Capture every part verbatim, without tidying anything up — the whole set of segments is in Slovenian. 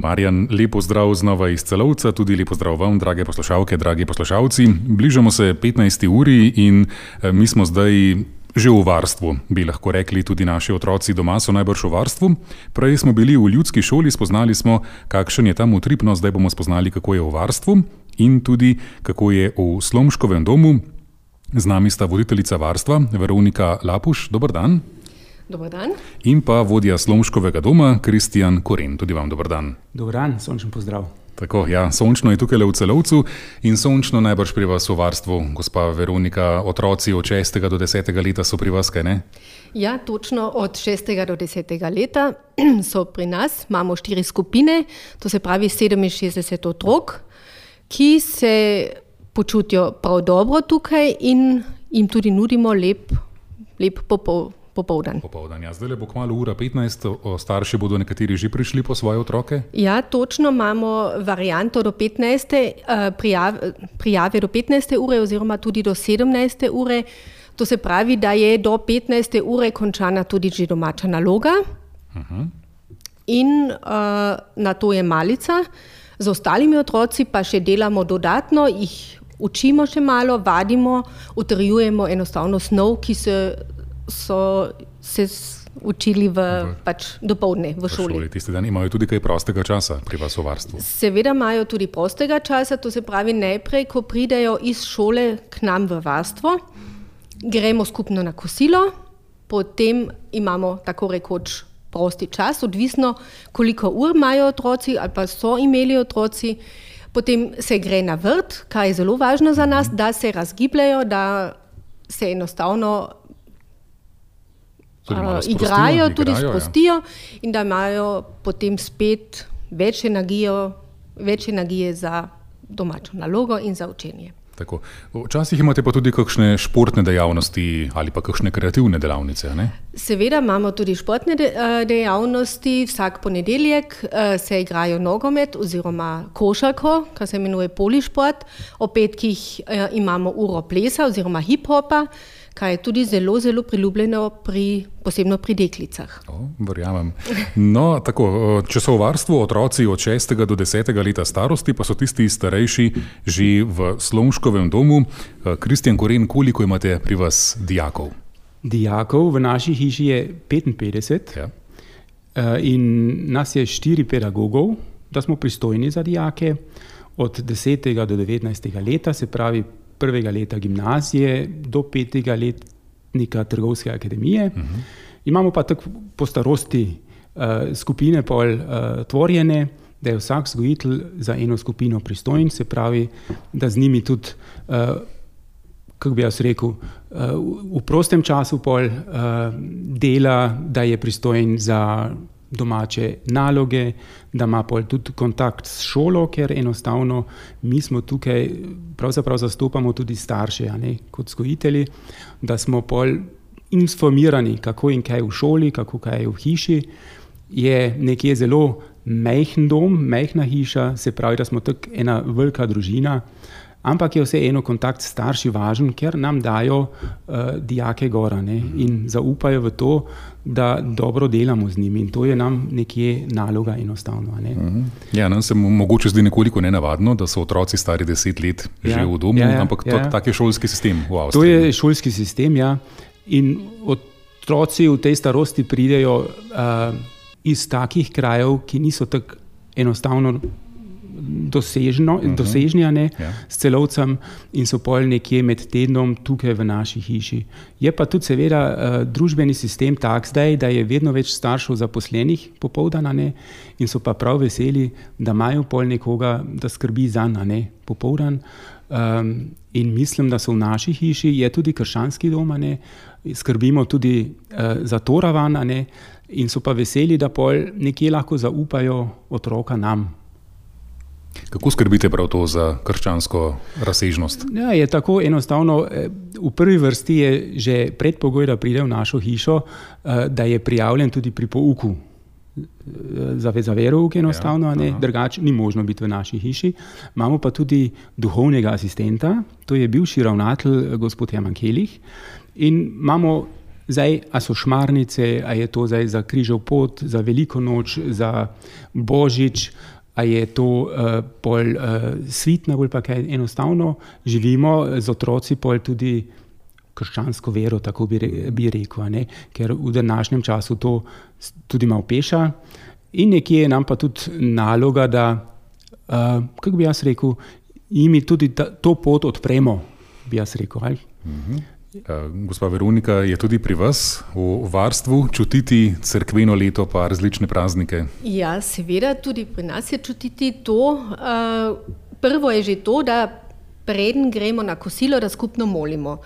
Marjan, lepo zdrav znova iz Celovca, tudi lepo zdrav vam, drage poslušalke, dragi poslušalci. Bližamo se petnajsti uri in mi smo zdaj že v varstvu, bi lahko rekli, tudi naši otroci doma so najbrž v varstvu. Prej smo bili v ljudski šoli, spoznali smo, kakšen je tam utrip, no zdaj bomo spoznali, kako je v varstvu in tudi, kako je v Slomškovem domu. Z nami sta voditeljica varstva, Veronika Lapuš, dober dan. Dobar dan. In pa vodja Slomškovega doma, Kristjan Koren, tudi vam dober dan. Dobar dan, sončen pozdrav. Tako, ja, sončno je tukaj v Celovcu in sončno najbrž pri vas v varstvu. Gospa Veronika, otroci od šestega do desetega leta so pri vas, kaj ne? Ja, točno od šestega do desetega leta so pri nas. Imamo štiri skupine, to se pravi sedeminšestdeset otrok, ki se počutijo prav dobro tukaj in jim tudi nudimo lep, lep popol. Popoldan. Popoldan, ja. Zdaj le bo kmalu ura petnajst, starši bodo nekateri že prišli po svoje otroke? Ja, točno imamo varianto do petnajste, prijave, prijave do petnajste ure oziroma tudi do sedemnajste ure. To se pravi, da je do petnajste ure končana tudi že domača naloga. Uh-huh. In uh, na to je malica. Z ostalimi otroci pa še delamo dodatno, jih učimo še malo, vadimo, utrjujemo enostavno snov, ki se so se učili v, v, pač dopoldne v šoli. V šoli tisti dan imajo tudi kaj prostega časa pri vas v varstvu? Seveda imajo tudi prostega časa, to se pravi najprej, ko pridejo iz šole k nam v varstvo, gremo skupno na kosilo, potem imamo tako rekoč prosti čas, odvisno koliko ur imajo otroci ali pa so imeli otroci, potem se gre na vrt, kar je zelo važno za nas, da se razgibljajo, da se enostavno Uh, igrajo, tudi igrajo, sprostijo ja. In da imajo potem spet več energije, več energije za domačo nalogo in za učenje. Tako. Včasih imate pa tudi kakšne športne dejavnosti ali pa kakšne kreativne delavnice, ne? Seveda imamo tudi športne de, dejavnosti. Vsak ponedeljek uh, se igrajo nogomet oziroma košarko, kar se imenuje polišport. O petkih uh, imamo uro plesa oziroma hip-hopa, kaj je tudi zelo, zelo priljubljeno, pri, posebno pri deklicah. O, verjamem. No, tako, če so v varstvu otroci od šestega do desetega leta starosti, pa so tisti starejši že v Slomškovem domu. Kristjan Koren, koliko imate pri vas dijakov? Dijakov v naši hiši je petinpetdeset ja. In nas je štiri pedagogov, da smo pristojni za dijake od desetega do devetnajstega leta, se pravi prvega leta gimnazije do petega letnika Trgovske akademije. Uh-huh. Imamo pa tako po starosti uh, skupine pol uh, tvorjene, da je vsak vzgojitelj za eno skupino pristojen, se pravi, da z njimi tudi, uh, kako bi jaz rekel, uh, v prostem času pol uh, dela, da je pristojen za domače naloge, da ima pol tudi kontakt s šolo, ker enostavno mi smo tukaj, pravzaprav zastopamo tudi starše, a ne, kot vzgojitelji, da smo pol informirani, kako in kaj v šoli, kako kaj je v hiši. Je nekje zelo majhen dom, majhna hiša, se pravi, da smo tako ena velika družina, ampak je vseeno kontakt s starši važen, ker nam dajo uh, dijake gora, ne, in zaupajo v to, da dobro delamo z njimi in to je nam nekje naloga enostavno. Ne. Uh-huh. Ja, nam se mogoče zdi nekoliko nenavadno, da so otroci stari deset let ja, že v domu, ja, ja, ampak ja. tak je šolski sistem v Avstriji. To je šolski sistem, ja. In otroci v tej starosti pridejo uh, iz takih krajev, ki niso tako enostavno dosežno, uh-huh. dosežnjane ja. S Celovcem in so pol nekje med tednom tukaj v naši hiši. Je pa tudi seveda uh, družbeni sistem tak zdaj, da je vedno več staršev zaposlenih popoldan, in so pa prav veseli, da imajo pol nekoga, da skrbi zanj, ne, popoldan. Um, in mislim, da so v naši hiši, je tudi krščanski dom, ne, skrbimo tudi uh, za to ravan, ne, in so pa veseli, da pol nekje lahko zaupajo otroka nam. Kako skrbite prav to za krščansko razsežnost? Ja, je tako enostavno. V prvi vrsti je že predpogoj, da pride v našo hišo, da je prijavljen tudi pri pouku. Za, za verouk enostavno, ja, drugače ni možno biti v naši hiši. Imamo pa tudi duhovnega asistenta, to je bivši ravnatelj gospod Herman Kelih, in imamo zdaj, a so šmarnice, a je to zdaj za križev pot, za veliko noč, za božič, a je to uh, bolj uh, svitno, bolj pa kaj enostavno živimo z otroci bolj tudi krščansko vero, tako bi, bi rekel, ne? Ker v današnjem času to tudi malo peša in nekje nam pa tudi naloga, da, uh, kako bi jaz rekel, jim tudi ta, to pot odpremo, bi jaz rekel. Ali? Mhm. Gospa Veronika, je tudi pri vas v varstvu čutiti cerkveno leto pa različne praznike? Ja, seveda, tudi pri nas je čutiti to. Prvo je že to, da preden gremo na kosilo, da skupno molimo.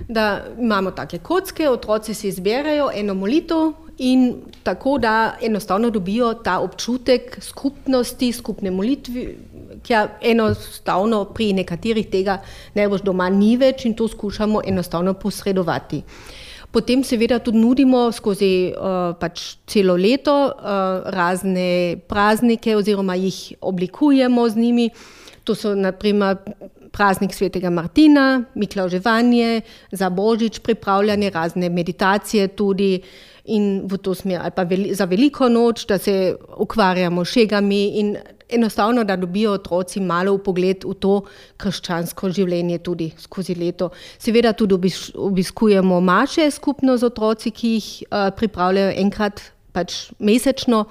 Da imamo take kocke, otroci si izberajo eno molitev in tako, da enostavno dobijo ta občutek skupnosti, skupne molitve, ki enostavno pri nekaterih tega najbolj doma ni več in to skušamo enostavno posredovati. Potem seveda tudi nudimo skozi uh, pač celo leto uh, razne praznike oziroma jih oblikujemo z njimi. To so naprimer praznik svetega Martina, Miklavževanje, za Božič pripravljanje, razne meditacije tudi in v to smer, ali pa veli, za veliko noč, da se ukvarjamo šegami in enostavno, da dobijo otroci malo vpogled v to krščansko življenje tudi skozi leto. Seveda tudi obiskujemo maše skupno z otroci, ki jih uh, pripravljajo enkrat pač mesečno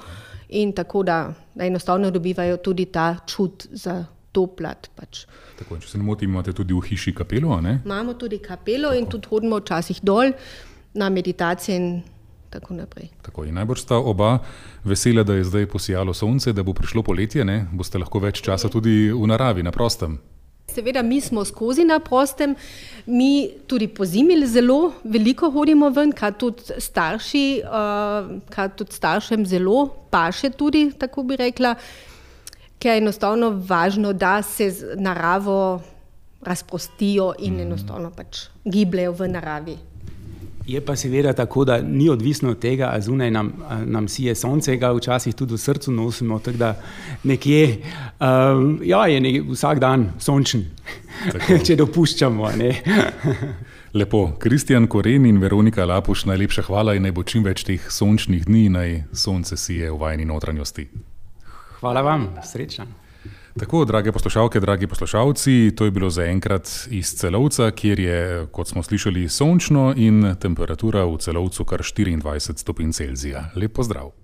in tako, da, da enostavno dobivajo tudi ta čut za to plat. Pač. Tako, če se ne motim, imate tudi v hiši kapelo, ne? Imamo tudi kapelo tako. In tudi hodimo včasih dol na meditacije in tako naprej. Tako, in najbolj sta oba vesela, da je zdaj posijalo sonce, da bo prišlo poletje, ne? Boste lahko več časa tudi v naravi, na prostem. Seveda, mi smo skozi na prostem, mi tudi po zimi zelo veliko hodimo ven, kar tudi starši, uh, kar tudi staršem zelo paše tudi, tako bi rekla, ker je enostavno važno, da se z naravo razprostijo in enostavno pač gibljajo v naravi. Je pa seveda tako, da ni odvisno od tega, a zunaj nam, nam sije sonce, ga včasih tudi v srcu nosimo, tako da nekje, um, ja, je nekje vsak dan sončen, če dopuščamo. Ne? Lepo, Kristjan Koren in Veronika Lapuš, najlepša hvala in naj bo čim več teh sončnih dni, naj sonce sije v vajni notranjosti. Hvala vam, srečno. Tako, drage poslušalke, dragi poslušalci, to je bilo zaenkrat iz Celovca, kjer je, kot smo slišali, sončno in temperatura v Celovcu kar štiriindvajset stopinj Celzija. Lep pozdrav.